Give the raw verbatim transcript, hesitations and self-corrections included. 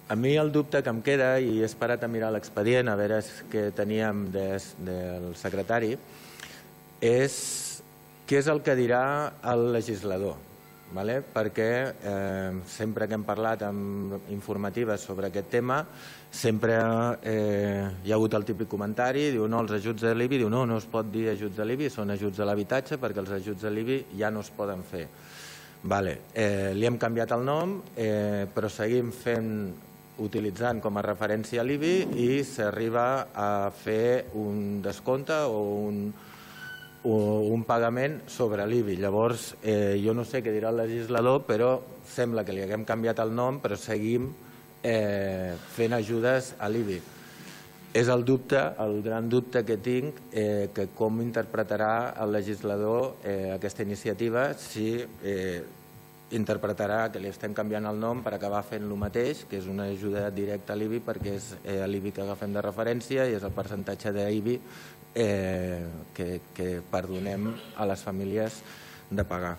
A mi el dubte que em queda, i he esperat a mirar l'expedient a veure què teníem del secretari, és què és el que dirà el legislador. Perquè sempre que hem parlat amb informatives sobre aquest tema, sempre hi ha hagut el típic comentari, diu no, els ajuts de l'I B I, diu no, no es pot dir ajuts de l'I B I, són ajuts a l'habitatge perquè els ajuts de l'I B I ja no es poden fer. Li hem canviat el nom, però seguim fent, utilitzant com a referència l'I B I i s'arriba a fer un descompte o un un pagament sobre l'I B I. Llavors, jo no sé què dirà el legislador, però sembla que li haguem canviat el nom, però seguim fent ajudes a l'I B I. És el dubte, el gran dubte que tinc, que com interpretarà el legislador aquesta iniciativa, si interpretarà que li estem canviant el nom per acabar fent el mateix, que és una ajuda directa a l'I B I, perquè és l'I B I que agafem de referència i és el percentatge d'I B I que perdonem a les famílies de pagar.